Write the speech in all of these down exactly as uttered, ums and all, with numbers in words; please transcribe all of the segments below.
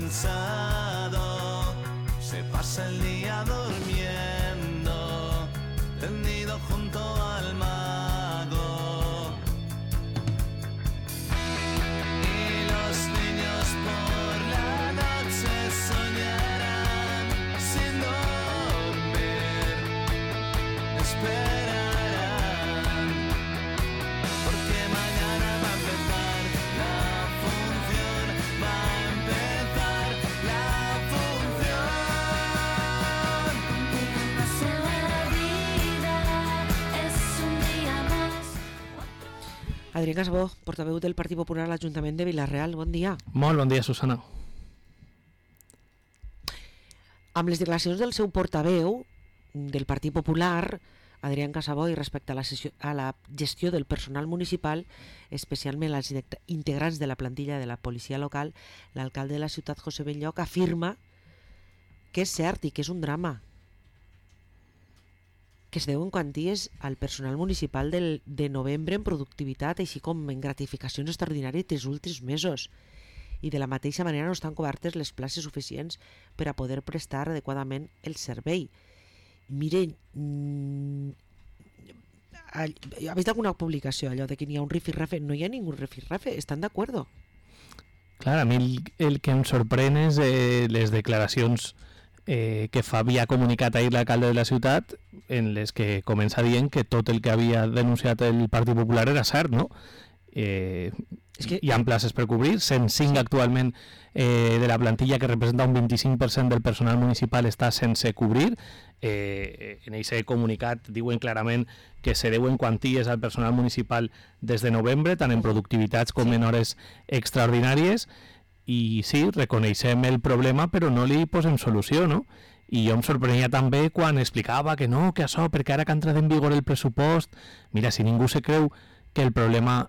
cansado, se pasa el día durmiendo, tendido junto al mago. Y los niños por la noche soñarán sin dormir, esperarán, porque mañana va a empezar la función, va a empezar la función. La vida es un día más. Adrián Casabó, portaveu del Partit Popular a l'Ajuntament de Vila-real. Bon dia. Molt bon dia, Susana. Amb les declaracions del seu portaveu del Partit Popular, Adrián Casabó, i respecte a la, sessió, a la gestió del personal municipal, especialment als integrants de la plantilla de la policia local, l'alcalde de la ciutat, José Benlloch, afirma que és cert i que és un drama que es deuen quanties al personal municipal del, de novembre en productivitat, així com en gratificacions extraordinàries dels últims mesos. I de la mateixa manera no estan cobertes les places suficients per a poder prestar adequadament el servei. Miren, mmm, ¿habéis visto alguna publicació allò de que n'hi ha un rifirrafe? No hi ha ningú rifirrafe, estan d'acord? Clar, a mi el, el que em sorprèn és eh, les declaracions eh, que fa, havia comunicat ahir l'alcalde de la ciutat, en les que comença dient que tot el que havia denunciat el Partit Popular era cert, no? Eh, és que hi ha places per cobrir, cent cinc sí. Actualment eh, de la plantilla, que representa un vint-i-cinc per cent del personal municipal, està sense cobrir. Eh, en aquest comunicat diuen clarament que se deuen quanties al personal municipal des de novembre, tant en productivitats com en hores extraordinàries, i sí, reconeixem el problema però no li posem solució, no? I jo em sorprenia també quan explicava que no, que això, perquè ara que ha entrat en vigor el pressupost, mira, si ningú se creu que el problema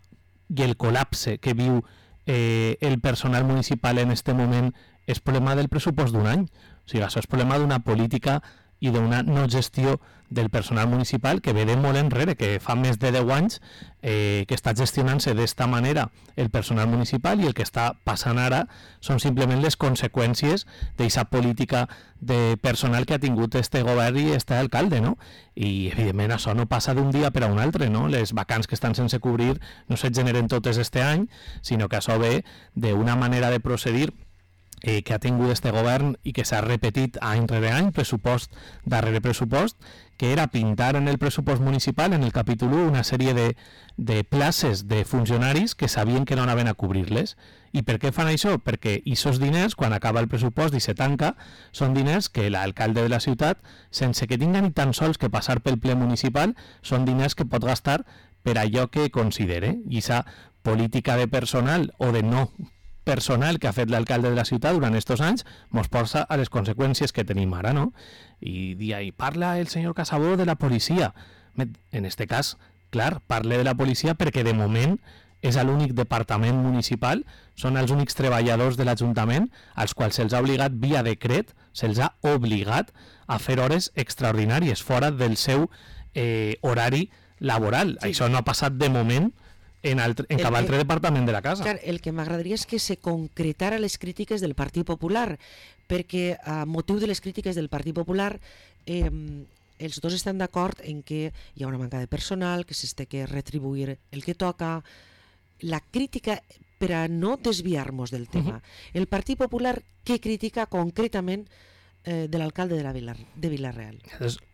i el col·lapse que viu eh, el personal municipal en este moment és problema del pressupost d'un any. O sigui, això és problema d'una política i d'una no gestió del personal municipal que ve de molt enrere, que fa més de deu anys eh, que està gestionant-se d'esta manera el personal municipal, i el que està passant ara són simplement les conseqüències d'aquesta política de personal que ha tingut este govern i este alcalde, no? I evidentment això no passa d'un dia per a un altre, no? Les vacants que estan sense cobrir no se generen totes este any, sinó que això ve d'una manera de procedir Eh, que ha tingut este govern i que s'ha repetit any rere any, pressupost darrere pressupost, que era pintar en el pressupost municipal, en el capítol u, una sèrie de, de places de funcionaris que sabien que no anaven a cobrir-les. I per què fan això? Perquè aquests diners, quan acaba el pressupost i se tanca, són diners que l'alcalde de la ciutat, sense que tinga ni tan sols que passar pel ple municipal, són diners que pot gastar per allò que considere. I aquesta política de personal o de no personal que ha fet l'alcalde de la ciutat durant aquests anys mos porta a les conseqüències que tenim ara, no? I, i parla el senyor Casabó de la policia. En este cas, clar, parle de la policia perquè de moment és l'únic departament municipal, són els únics treballadors de l'Ajuntament als quals se'ls ha obligat via decret, se'ls ha obligat a fer hores extraordinàries fora del seu eh, horari laboral. Sí. Això no ha passat de moment en, altre, en cap altre departament de la casa. Clar, el que m'agradaria és que se concretara les crítiques del Partit Popular, perquè a motiu de les crítiques del Partit Popular eh, els dos estan d'acord en que hi ha una manca de personal, que s'ha de retribuir el que toca. La crítica, per a no desviar-nos del tema, uh-huh. El Partit Popular què critica concretament eh, de l'alcalde de, la Vila, de Vila-real?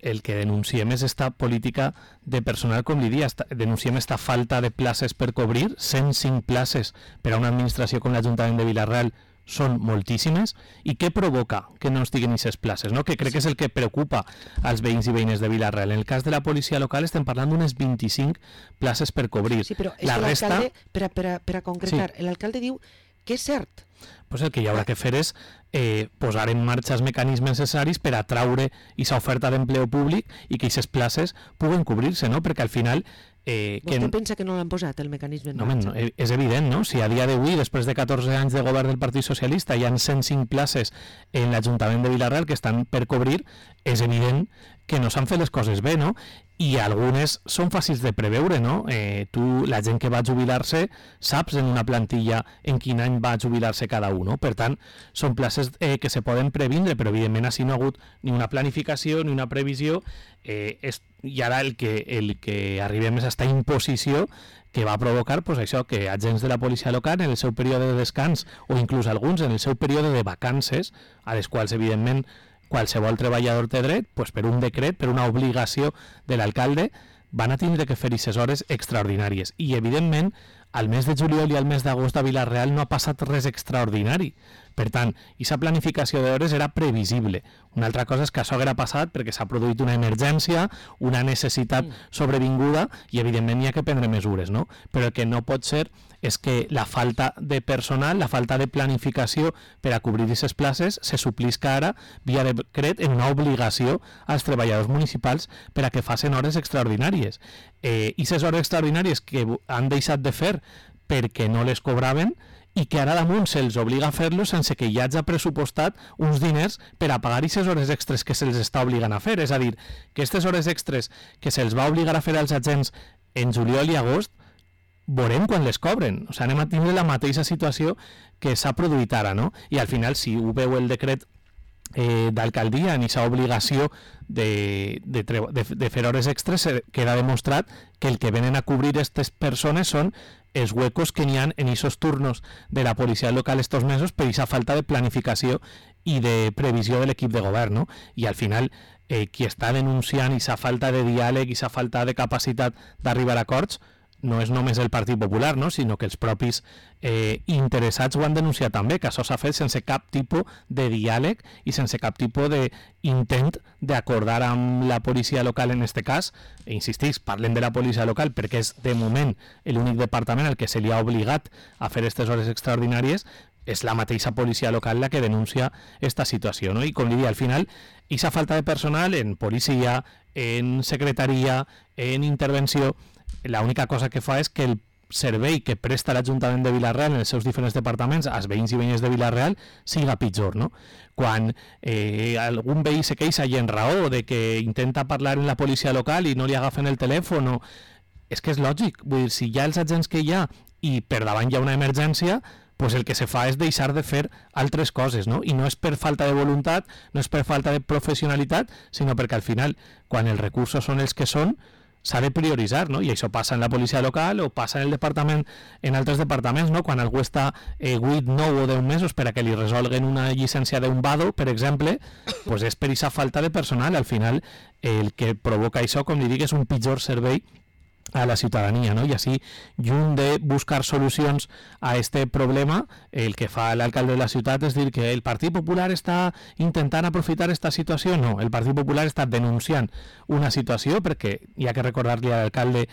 El que denunciem és esta política de personal, com li dia, denunciem esta falta de places per cobrir, cent cinc places per a una administració com l'Ajuntament de Vila-real són moltíssimes, i què provoca que no estiguen aquestes places, no? Que crec que és el que preocupa als veïns i veïnes de Vila-real. En el cas de la policia local estem parlant d'unes vint-i-cinc places per cobrir. Sí, però és la que resta... l'alcalde, per a, per a, per a concretar, sí. L'alcalde diu que és cert. Pues el que hi haurà que fer és eh, posar en marxa els mecanismes necessaris per atraure aquesta oferta d'empleo públic i que aquestes places puguen cobrir-se, no? Perquè al final... Eh, Vostè que... pensa que no l'han posat, el mecanisme en no, marxa? No, és evident, no? Si a dia d'avui, després de catorze anys de govern del Partit Socialista, hi ha cent cinc places en l'Ajuntament de Vila-real que estan per cobrir, és evident que no s'han fet les coses bé, no? I algunes són fàcils de preveure, no? Eh, tu, la gent que va jubilar-se, saps en una plantilla en quin any va jubilar-se cada un, no? Per tant, són places eh, que se poden previndre, però evidentment així no ha hagut ni una planificació ni una previsió, eh, és, i ara el que, el que arribem és a esta imposició que va provocar pues, això, que agents de la policia local en el seu període de descans o inclús alguns en el seu període de vacances, a les quals evidentment qualsevol treballador té dret, pues, per un decret, per una obligació de l'alcalde, van a tindre que fer aquestes hores extraordinàries. I evidentment al mes de juliol i al mes d'agost a Vila-real no ha passat res extraordinari. Per tant, aquesta planificació d'hores era previsible. Una altra cosa és que això haguera passat perquè s'ha produït una emergència, una necessitat sobrevinguda i evidentment hi ha que prendre mesures, no? Però el que no pot ser és que la falta de personal, la falta de planificació per a cobrir aquestes places se suplisca ara via decret en una obligació als treballadors municipals per a que facin hores extraordinàries. Eh, I aquestes hores extraordinàries que han deixat de fer perquè no les cobraven i que ara damunt se'ls obliga a fer-lo sense que hi hagi pressupostat uns diners per a pagar aquestes hores extres que se'ls està obligant a fer. És a dir, que aquestes hores extres que se'ls va obligar a fer als agents en juliol i agost veurem quan les cobren. O sigui, anem a tindre la mateixa situació que s'ha produït ara, no? I al final, si ho veu el decret eh, d'alcaldia en aquesta obligació de, de, de, de fer hores extres, queda demostrat que el que venen a cobrir aquestes persones són els huecos que n'hi ha en aquests turnos de la policia local estos mesos per aquesta falta de planificació i de previsió de l'equip de govern, no? I al final, eh, qui està denunciant aquesta falta de diàleg i aquesta falta de capacitat d'arribar a acords no és només el Partit Popular, no? Sinó que els propis eh, interessats ho han denunciat també, que això s'ha fet sense cap tipus de diàleg i sense cap tipus d'intent d'acordar amb la policia local en aquest cas. E insistís, parlem de la policia local perquè és de moment l'únic departament al que se li ha obligat a fer aquestes hores extraordinàries, és la mateixa policia local la que denuncia esta situació, no? I com li dic, al final, aquesta falta de personal en policia, en secretaria, en intervenció, l'única cosa que fa és que el servei que presta l'Ajuntament de Vila-real en els seus diferents departaments als veïns i veïnes de Vila-real siga pitjor, no? Quan eh, algun veí se queixa i en raó de que intenta parlar en la policia local i no li agafen el telèfon, o... és que és lògic, vull dir, si hi ha els agents que hi ha i per davant hi ha una emergència, pues el que se fa és deixar de fer altres coses, no? I no és per falta de voluntat, no és per falta de professionalitat, sinó perquè al final, quan els recursos són els que són, s'ha de prioritzar, no? I això passa en la policia local o passa en el departament, en altres departaments, no? Quan algú està eh, vuit, nou o deu mesos per a que li resolguen una llicència d'un vado, per exemple, pues és per aquesta falta de personal. Al final, el que provoca això, com li dic, és un pitjor servei a la ciutadania, no? I així, lluny de buscar solucions a este problema, el que fa l'alcalde de la ciutat és dir que el Partit Popular està intentant aprofitar esta situació. No, el Partit Popular està denunciant una situació perquè hi ha que recordar-li a l'alcalde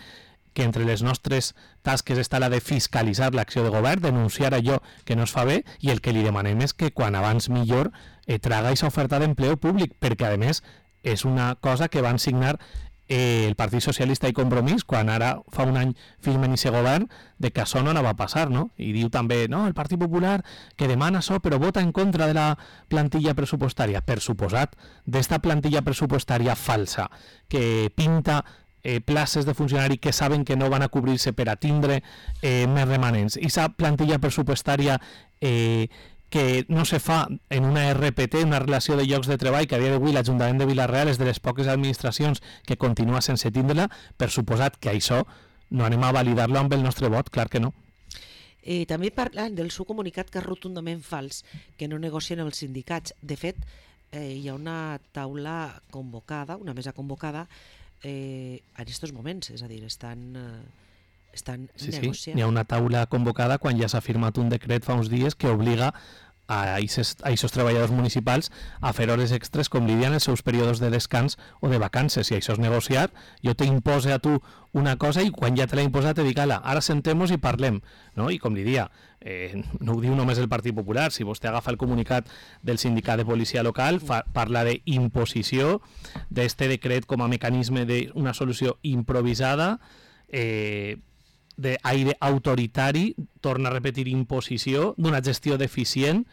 que entre les nostres tasques està la de fiscalitzar l'acció de govern, denunciar allò que no es fa bé, i el que li demanem és que quan abans millor eh, traga aquesta oferta d'empleo públic, perquè a més és una cosa que van signar Eh, el Partit Socialista i Compromís quan ara fa un any firmen aquest govern de que això no anava a passar, no? I diu també, no, el Partit Popular que demana això però vota en contra de la plantilla pressupostària. Per suposat, d'esta plantilla pressupostària falsa que pinta eh, places de funcionari que saben que no van a cobrir-se per a tindre eh, més remanents. I aquesta plantilla pressupostària eh, que no se fa en una R P T, una relació de llocs de treball, que a dia d'avui l'Ajuntament de Vila-real és de les poques administracions que continua sense tindre-la, per suposat que això no anem a validar-lo amb el nostre vot, clar que no. Eh, també parlant del seu comunicat que és rotundament fals, que no negocien els sindicats. De fet, eh, hi ha una taula convocada, una mesa convocada eh, en aquests moments, és a dir, estan... Eh, estan sí, negociant. Sí, hi ha una taula convocada quan ja s'ha firmat un decret fa uns dies que obliga a aquests treballadors municipals a fer hores extres, com li diuen, els seus períodes de descans o de vacances. Si això és negociar, jo t'impose a tu una cosa i quan ja te l'he imposat te dic, ala, ara sentem-nos i parlem, no? I com li dia, eh, no ho diu només el Partit Popular, si vostè agafa el comunicat del sindicat de policia local, fa, parla d'imposició, d'este decret com a mecanisme d'una solució improvisada, eh, d'aire autoritari, torna a repetir imposició, d'una gestió deficient,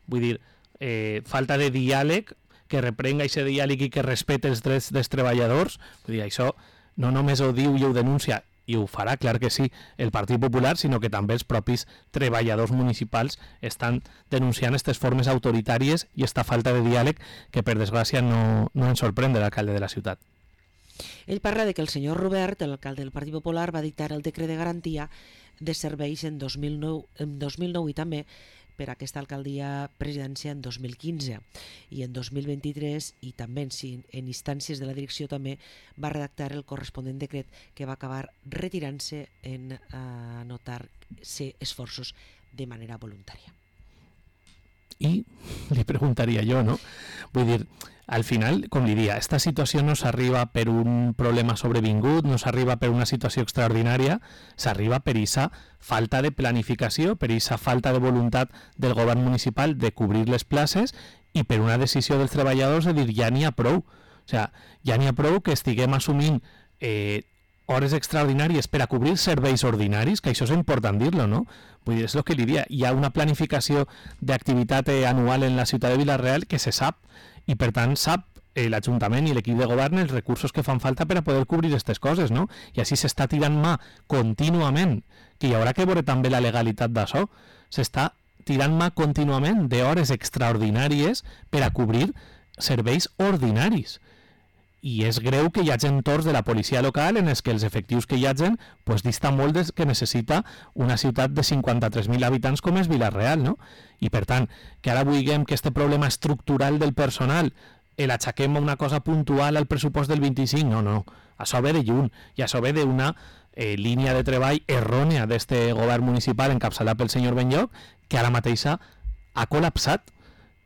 vull dir, eh, falta de diàleg, que reprenga aquest diàleg i que respete els drets dels treballadors. Vull dir, això no només ho diu i ho denuncia, i ho farà, clar que sí, el Partit Popular, sinó que també els propis treballadors municipals estan denunciant aquestes formes autoritàries i aquesta falta de diàleg que, per desgràcia, no, no ens sorprèn de l'alcalde de la ciutat. Ell parla de que el senyor Robert, l'alcalde del Partit Popular, va dictar el decret de garantia de serveis en dos mil nou, en dos mil nou i també per a aquesta alcaldia presidència en dos mil quinze i en dos mil vint-i-tres i també en, en instàncies de la direcció també va redactar el corresponent decret que va acabar retirant-se en eh, anotar-se esforços de manera voluntària. I li preguntaria jo, no? Vull dir, al final, com li diria, esta situació no s'arriba per un problema sobrevingut, no s'arriba per una situació extraordinària, s'arriba per aquesta falta de planificació, per aquesta falta de voluntat del govern municipal de cobrir les places i per una decisió dels treballadors de dir ja n'hi ha prou. O sigui, ja n'hi ha prou que estiguem assumint eh, hores extraordinàries per a cobrir serveis ordinaris, que això és important dir-lo, no? Vull dir, és el que li diria. Hi ha una planificació d'activitat eh, anual en la ciutat de Vila-real que se sap, i per tant sap eh, l'Ajuntament i l'equip de govern els recursos que fan falta per a poder cobrir aquestes coses, no? I així s'està tirant mà contínuament, que hi haurà que veure també la legalitat d'això, s'està tirant mà contínuament d'hores extraordinàries per a cobrir serveis ordinaris. I és greu que hi hagi entorns de la policia local en els que els efectius que hi hagin pues, dista molt des que necessita una ciutat de cinquanta-tres mil habitants com és Vila-real, no? I per tant, que ara vulguem que este problema estructural del personal l'aixequem a una cosa puntual al pressupost del vint-i-cinc, no, no, això ve de lluny i això ve d'una eh, línia de treball errònia d'este govern municipal encapçalat pel senyor Benlloch que ara mateixa ha col·lapsat.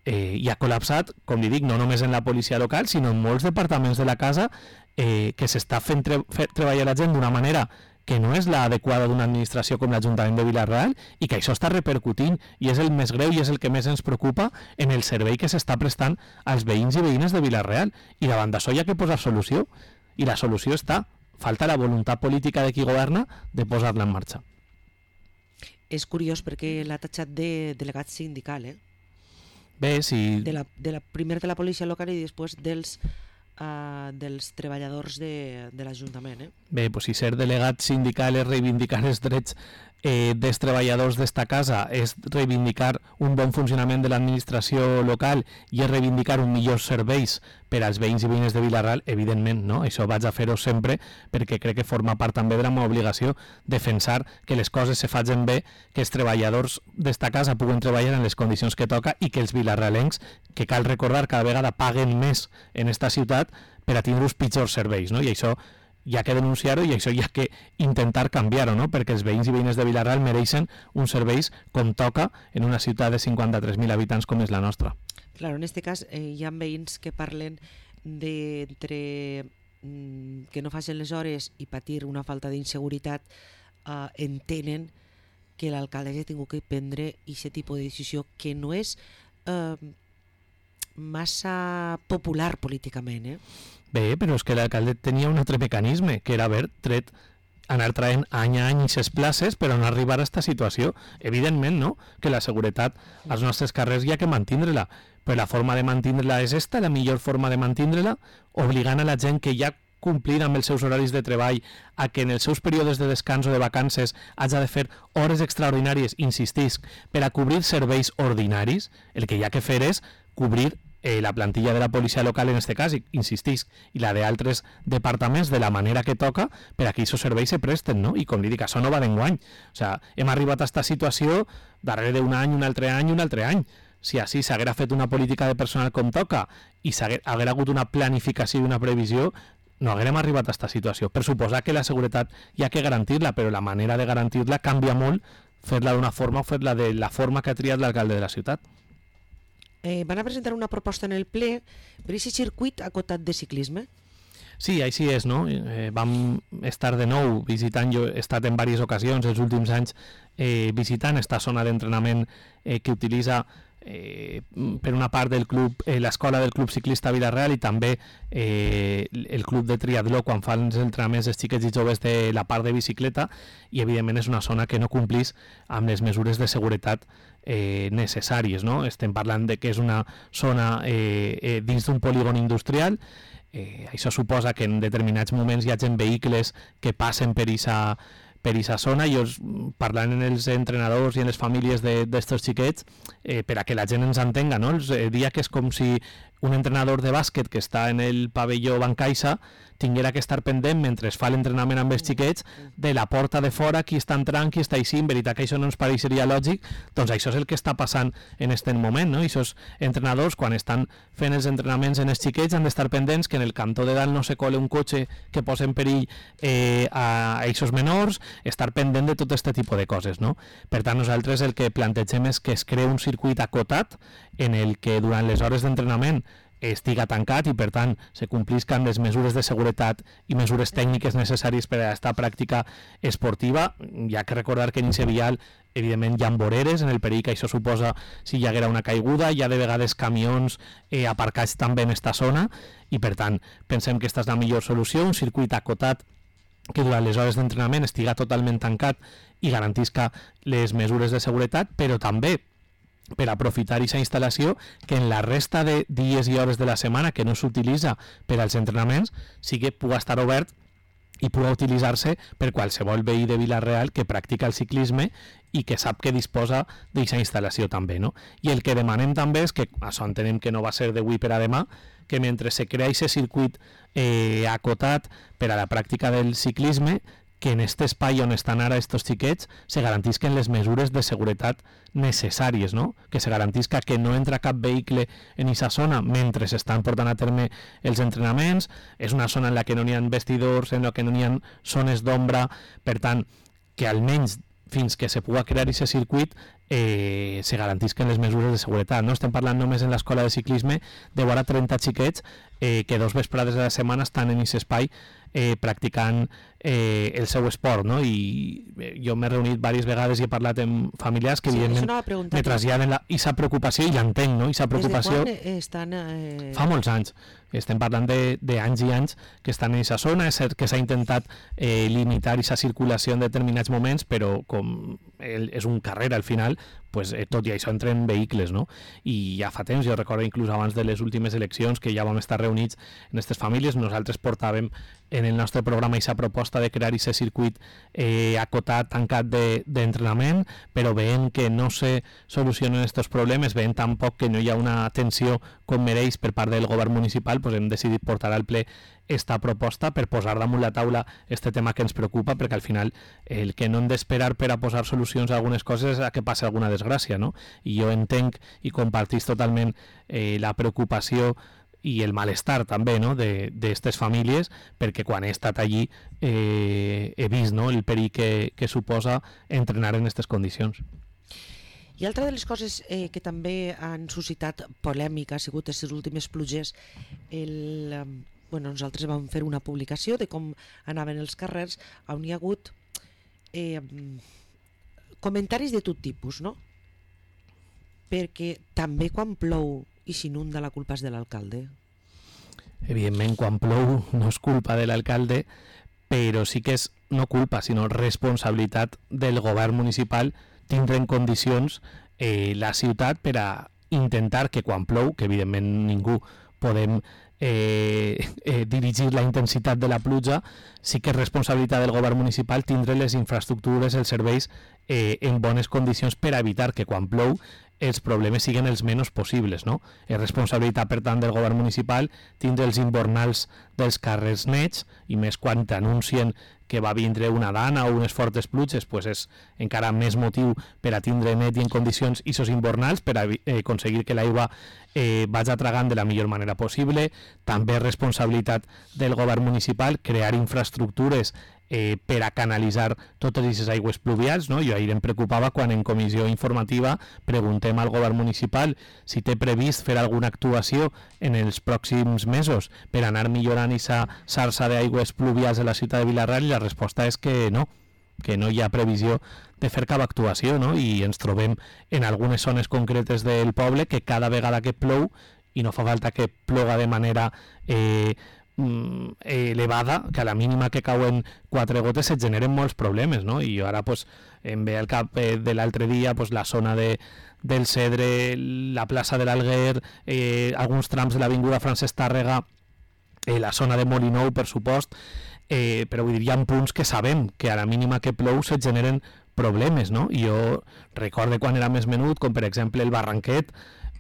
Eh, i ha col·lapsat, com li dic, no només en la policia local, sinó en molts departaments de la casa eh, que s'està fent tre fer treballar la gent d'una manera que no és l'adequada d'una administració com l'Ajuntament de Vila-real i que això està repercutint i és el més greu i és el que més ens preocupa en el servei que s'està prestant als veïns i veïnes de Vila-real. I davant d'això hi ha que posar solució i la solució està, falta la voluntat política de qui governa de posar-la en marxa. És curiós perquè l'ha tatxat de delegat sindical, eh? Bé, si... De la, de la, primer de la policia local i després dels, uh, dels treballadors de, de l'Ajuntament. Eh? Bé, pues si ser delegat sindical és reivindicar els drets eh, dels treballadors d'esta casa, és reivindicar un bon funcionament de l'administració local i és reivindicar un millors serveis per als veïns i veïnes de Vila-real, evidentment, no? Això vaig a fer-ho sempre perquè crec que forma part també de la meva obligació defensar que les coses se facin bé, que els treballadors d'esta casa puguen treballar en les condicions que toca i que els vilarrealencs, que cal recordar cada vegada paguen més en esta ciutat per a tindre uns pitjors serveis, no? I això hi ha que denunciar-ho i això hi ha que intentar canviar-ho, no? Perquè els veïns i veïnes de Vila-real mereixen uns serveis com toca en una ciutat de cinquanta-tres mil habitants com és la nostra. Claro, en este cas eh, hi ha veïns que parlen d'entre mm, que no facin les hores i patir una falta d'inseguretat, eh, entenen que l'alcalde ha tingut que prendre aquest tipus de decisió que no és eh, massa popular políticament, eh? Bé, però és que l'alcalde tenia un altre mecanisme, que era haver tret, anar traient any a any aquestes places per no arribar a aquesta situació. Evidentment, no?, que la seguretat als nostres carrers hi ha que mantindre-la, però la forma de mantindre-la és esta, la millor forma de mantindre-la, obligant a la gent que ja complir amb els seus horaris de treball a que en els seus períodes de descans o de vacances hagi de fer hores extraordinàries, insistisc, per a cobrir serveis ordinaris. El que hi ha que fer és cobrir Eh, la plantilla de la policia local en este cas, insistisc, i la d'altres departaments de la manera que toca per a que aquests serveis se presten, no? I com li dic, això no va d'enguany. O sigui, hem arribat a aquesta situació darrere d'un any, un altre any, un altre any. Si així s'haguera fet una política de personal com toca i s'haguera hagut una planificació i una previsió, no haguérem arribat a aquesta situació. Per suposar que la seguretat hi ha que garantir-la, però la manera de garantir-la canvia molt fer-la d'una forma o fer-la de la forma que ha triat l'alcalde de la ciutat. Eh, van a presentar una proposta en el ple per aquest circuit acotat de ciclisme. Sí, així és, no? Eh, vam estar de nou visitant, jo he estat en diverses ocasions els últims anys eh, visitant esta zona d'entrenament eh, que utilitza eh, per una part del club, eh, l'escola del Club Ciclista Vila-real i també eh, el club de triatló quan fan els entrenaments dels xiquets i joves de la part de bicicleta, i evidentment és una zona que no complís amb les mesures de seguretat eh, necessàries, no? Estem parlant de que és una zona eh, eh, dins d'un polígon industrial. Eh, això suposa que en determinats moments hi hagi vehicles que passen per aquesta per aquesta zona. Jo parlant amb els entrenadors i en les famílies d'estos xiquets, eh, per a que la gent ens entenga, no? Els eh, dia que és com si un entrenador de bàsquet que està en el pavelló Bancaixa tinguera que estar pendent mentre es fa l'entrenament amb els xiquets de la porta de fora, qui està entrant, qui està així. En veritat que això no ens pareixeria lògic, doncs això és el que està passant en aquest moment, no? I aquests entrenadors, quan estan fent els entrenaments en els xiquets, han d'estar pendents que en el cantó de dalt no se cole un cotxe que posa en perill eh, a aquests menors, estar pendent de tot aquest tipus de coses, no? Per tant, nosaltres el que plantegem és que es crea un circuit acotat en el que durant les hores d'entrenament estiga tancat i per tant se complisquen les mesures de seguretat i mesures tècniques necessàries per a aquesta pràctica esportiva. Hi ha que recordar que en aquest vial evidentment hi ha voreres, en el perill que això suposa si hi haguera una caiguda, hi ha de vegades camions eh, aparcats també en aquesta zona i per tant pensem que aquesta és la millor solució, un circuit acotat que durant les hores d'entrenament estiga totalment tancat i garantisca les mesures de seguretat, però també per aprofitar aquesta instal·lació que en la resta de dies i hores de la setmana que no s'utilitza per als entrenaments sí que pugui estar obert i pugui utilitzar-se per qualsevol veí de Vila-real que practica el ciclisme i que sap que disposa d'aquesta instal·lació també, no? I el que demanem també és que, això entenem que no va ser d'avui per a demà, que mentre se crea aquest circuit eh, acotat per a la pràctica del ciclisme, que en aquest espai on estan ara estos xiquets se garantisquen les mesures de seguretat necessàries, no? Que se garantisca que no entra cap vehicle en aquesta zona mentre s'estan portant a terme els entrenaments. És una zona en la que no hi ha vestidors, en la que no hi ha zones d'ombra, per tant, que almenys fins que se pugui crear aquest circuit eh, se garantisquen les mesures de seguretat, no? Estem parlant només en l'escola de ciclisme de vora trenta xiquets eh, que dos vesprades de la setmana estan en aquest espai eh, practicant eh, el seu esport, no? I eh, jo m'he reunit diverses vegades i he parlat amb familiars que Sí, evidentment això anava a preguntar. me traslladen aquesta preocupació i l'entenc, no? Aquesta preocupació Des de quan estan... Eh... fa molts anys. Estem parlant de, de anys i anys que estan en aquesta zona. És cert que s'ha intentat eh, limitar aquesta circulació en determinats moments, però com el, és un carrer al final, pues, eh, tot i això entren vehicles, no? I ja fa temps, jo recordo inclús abans de les últimes eleccions que ja vam estar reunits en aquestes famílies, nosaltres portàvem en el nostre programa aquesta proposta de crear aquest circuit eh, acotat, tancat d'entrenament, de, però veient que no se solucionen aquests problemes, veient tampoc que no hi ha una atenció com mereix per part del govern municipal, pues hem decidit portar al ple esta proposta per posar damunt la taula este tema que ens preocupa, perquè al final el que no hem d'esperar per a posar solucions a algunes coses és a que passi alguna desgràcia, no? I jo entenc i compartís totalment eh, la preocupació i el malestar també, no?, d'aquestes famílies, perquè quan he estat allí eh, he vist, no?, el perill que, que suposa entrenar en aquestes condicions. I altra de les coses eh, que també han suscitat polèmica ha sigut aquestes últimes pluges. El, eh, bueno, nosaltres vam fer una publicació de com anaven els carrers, on hi ha hagut eh, comentaris de tot tipus, no? Perquè també quan plou i s'inunda la culpa és de l'alcalde. Evidentment, quan plou no és culpa de l'alcalde, però sí que és no culpa, sinó responsabilitat del govern municipal tindre en condicions eh, la ciutat per a intentar que quan plou, que evidentment ningú podem eh, eh, dirigir la intensitat de la pluja, sí que és responsabilitat del govern municipal tindre les infraestructures, els serveis eh, en bones condicions per a evitar que quan plou els problemes siguin els menys possibles, no? És responsabilitat, per tant, del govern municipal tindre els invernals dels carrers nets, i més quan t'anuncien que va vindre una dana o unes fortes pluges, pues és encara més motiu per a tindre net i en condicions aquests invernals, per a eh, aconseguir que l'aigua eh, vagi tragant de la millor manera possible. També és responsabilitat del govern municipal crear infraestructures eh, per a canalitzar totes aquestes aigües pluvials, no? Jo ahir em preocupava quan en comissió informativa preguntem al govern municipal si té previst fer alguna actuació en els pròxims mesos per anar millorant aquesta xarxa d'aigües pluvials de la ciutat de Vila-real, i la resposta és que no, que no hi ha previsió de fer cap actuació, no? I ens trobem en algunes zones concretes del poble que cada vegada que plou, i no fa falta que ploga de manera eh, elevada, que a la mínima que cauen quatre gotes et generen molts problemes, no? I jo ara pues, em ve al cap eh, de l'altre dia pues, la zona de, del Cedre, la plaça de l'Alguer, eh, alguns trams de l'avinguda Francesc Tàrrega, eh, la zona de Molinou, per supost, eh, però vull dir, hi ha punts que sabem que a la mínima que plou se generen problemes, no? I jo recorde quan era més menut, com per exemple el Barranquet,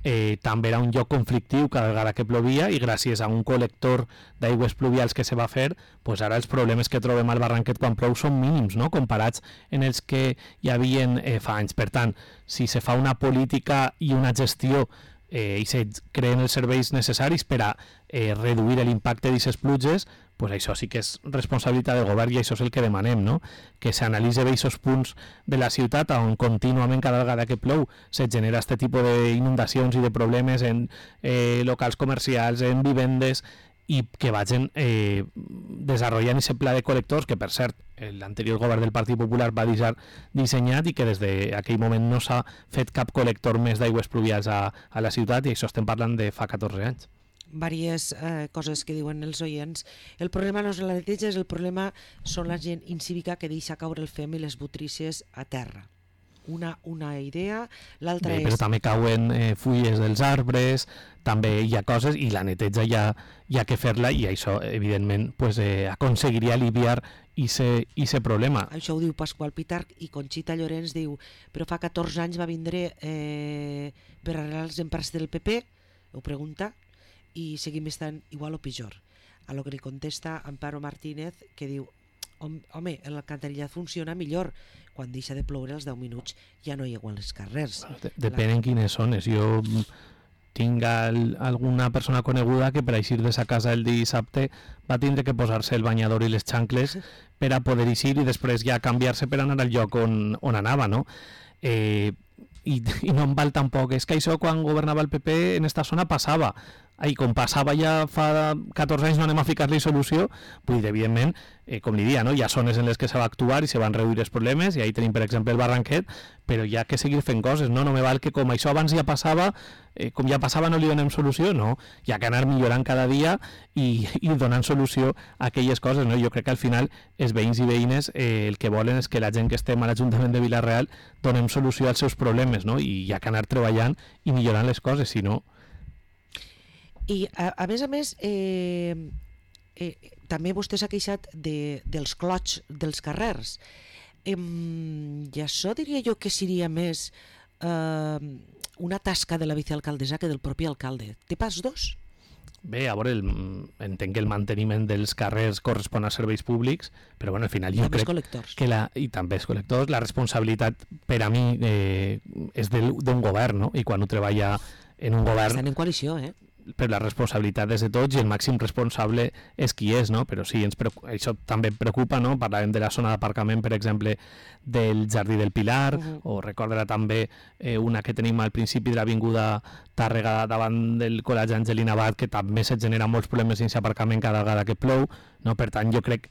eh, també era un lloc conflictiu cada vegada que plovia i gràcies a un col·lector d'aigües pluvials que se va fer, pues ara els problemes que trobem al Barranquet quan plou són mínims, no? Comparats en els que hi havien eh, fa anys. Per tant, si se fa una política i una gestió eh, i se creen els serveis necessaris per a eh, reduir l'impacte d'aquestes pluges, pues això sí que és responsabilitat del govern i això és el que demanem, no? Que s'analitzi bé aquests punts de la ciutat on contínuament cada vegada que plou se genera aquest tipus d'inundacions i de problemes en eh, locals comercials, en vivendes, i que vagin eh, desenvolupant aquest pla de col·lectors que, per cert, l'anterior govern del Partit Popular va deixar dissenyat i que des d'aquell moment no s'ha fet cap col·lector més d'aigües pluvials a, a la ciutat, i això estem parlant de fa catorze anys. Diverses eh, coses que diuen els oients. El problema no és la neteja, el problema són la gent incívica que deixa caure el fem i les butrícies a terra. Una, una idea, l'altra és... Però també cauen eh, fulles dels arbres, també hi ha coses, i la neteja hi ha, hi ha que fer-la, i això, evidentment, pues, eh, aconseguiria aliviar aquest problema. Això ho diu Pasqual Pitarch, i Conxita Llorenç diu, però fa catorze anys va vindre eh, per arreglar els empars del P P, ho pregunta, i seguim estant igual o pitjor. A lo que li contesta Amparo Martínez, que diu, home, l'alcantarillado funciona millor quan deixa de ploure els deu minuts, ja no hi aigua als carrers. Depèn en quines zones. Jo tinc al, alguna persona coneguda que per eixir de sa casa el dissabte va tindre que posar-se el banyador i les xancles per a poder eixir i després ja canviar-se per anar al lloc on, on anava, no? Eh, i, i no em val tampoc, és que això quan governava el P P en esta zona passava, i com passava ja fa catorze anys no anem a ficar-li solució, vull dir, evidentment, eh, com li dia, no? Hi ha zones en les que se va actuar i se van reduir els problemes, i ahí tenim, per exemple, el Barranquet, però hi ha que seguir fent coses, no? No me val que com això abans ja passava, eh, com ja passava no li donem solució, no? Hi ha que anar millorant cada dia i, i donant solució a aquelles coses, no? Jo crec que al final els veïns i veïnes eh, el que volen és que la gent que estem a l'Ajuntament de Vila-real donem solució als seus problemes, no? I hi ha que anar treballant i millorant les coses, si no... I a, a més a més eh, eh, també vostè s'ha queixat de, dels clots dels carrers, eh, i això diria jo que seria més eh, una tasca de la vicealcaldessa que del propi alcalde. Té pas dos? Bé, a veure, el, entenc que el manteniment dels carrers correspon a serveis públics, però bueno, al final jo crec que la, i també els col·lectors, la responsabilitat per a mi eh, és d'un govern, no? I quan ho treballa en un govern... Estan en coalició, eh? Però la responsabilitat és de tots i el màxim responsable és qui és, no? Però sí, ens preocupa, això també em preocupa, no? Parlàvem de la zona d'aparcament, per exemple, del Jardí del Pilar, uh-huh. o recordarà també eh, una que tenim al principi de l'avinguda Tàrrega davant del Col·legi Angelina Abad, que també se genera molts problemes sense aparcament cada vegada que plou, no? Per tant, jo crec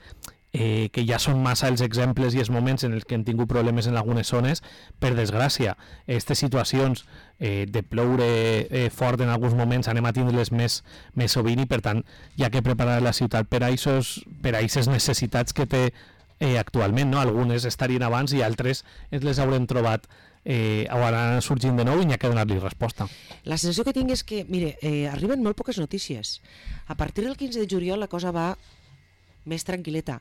eh, que ja són massa els exemples i els moments en els que hem tingut problemes en algunes zones. Per desgràcia, aquestes situacions eh, de ploure eh, fort en alguns moments anem a tindre-les més, més sovint, i per tant hi ha que preparar la ciutat per a aquestes necessitats que té eh, actualment, no? Algunes estarien abans i altres ens les haurem trobat eh, o ara sorgint de nou i n'hi ha que donar-li resposta. La sensació que tinc és que, mire, eh, arriben molt poques notícies. A partir del quinze de juliol la cosa va més tranquil·leta,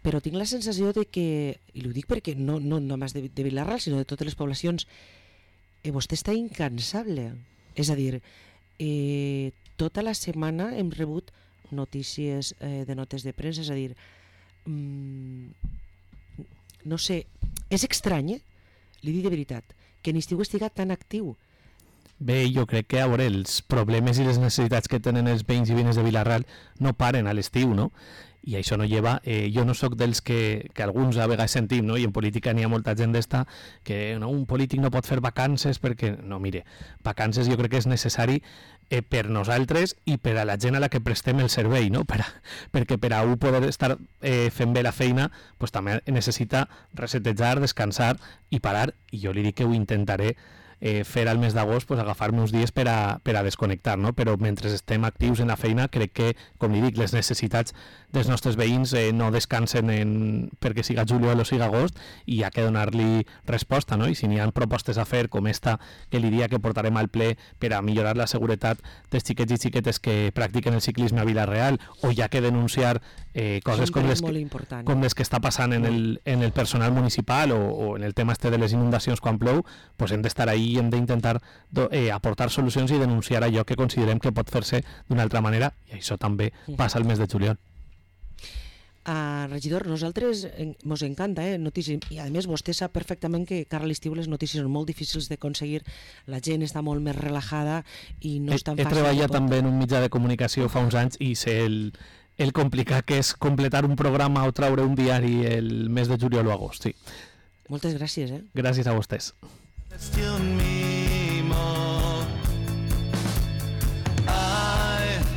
però tinc la sensació de que, i ho dic perquè no, no només de, de Vila-real, sinó de totes les poblacions, eh, vostè està incansable. És a dir, eh, tota la setmana hem rebut notícies eh, de notes de premsa, és a dir, mm, no sé, és estrany, eh? Li dic de veritat, que l'estiu estiga tan actiu. Bé, jo crec que a veure, els problemes i les necessitats que tenen els veïns i veïnes de Vila-real no paren a l'estiu, no? I això no lleva, eh, jo no sóc dels que, que alguns a vegades sentim, no? I en política n'hi ha molta gent d'esta que no, un polític no pot fer vacances perquè, no, mire, vacances jo crec que és necessari eh, per nosaltres i per a la gent a la que prestem el servei, no? Per a, perquè per a un poder estar eh, fent bé la feina, pues, també necessita resetejar, descansar i parar, i jo li dic que ho intentaré eh, fer al mes d'agost pues, agafar-me uns dies per a, per a desconnectar, no? Però mentre estem actius en la feina crec que, com li dic, les necessitats dels nostres veïns eh, no descansen en, perquè siga juliol o siga agost i hi ha que donar-li resposta, no? I si n'hi ha propostes a fer com esta que li diria que portarem al ple per a millorar la seguretat dels xiquets i xiquetes que practiquen el ciclisme a Vila-real, o hi ha que denunciar eh, coses com les, que, com les que està passant en el, en el personal municipal o, o en el tema este de les inundacions quan plou, pues hem d'estar ahí i hem d'intentar eh, aportar solucions i denunciar allò que considerem que pot fer-se d'una altra manera, i això també passa al mes de juliol. Uh, regidor, nosaltres ens encanta eh, notícies, i a més vostè sap perfectament que cara a l'estiu les notícies són molt difícils d'aconseguir, la gent està molt més relajada i no és tan he, fàcil. He treballat també en un mitjà de comunicació fa uns anys i sé el, el complicat que és completar un programa o traure un diari el mes de juliol o agost, sí. Moltes gràcies, eh? Gràcies a vostès. Still me